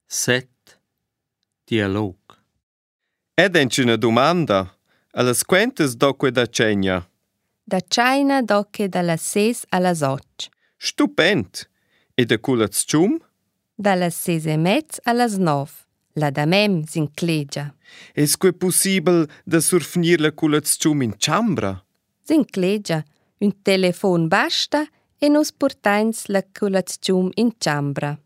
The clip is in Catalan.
7. Dialog. Ed è una domanda. Allas quentas doque da cena? Da China docche dalla 6 alla 8. Stupend. E da colazione? Dalla 6:30 alla 9. La da mem s'inclegia. Es que possibile da surfnir la colazione in chambra? S'inclegia. Un telefon basta e nos portains la colazione in chambra.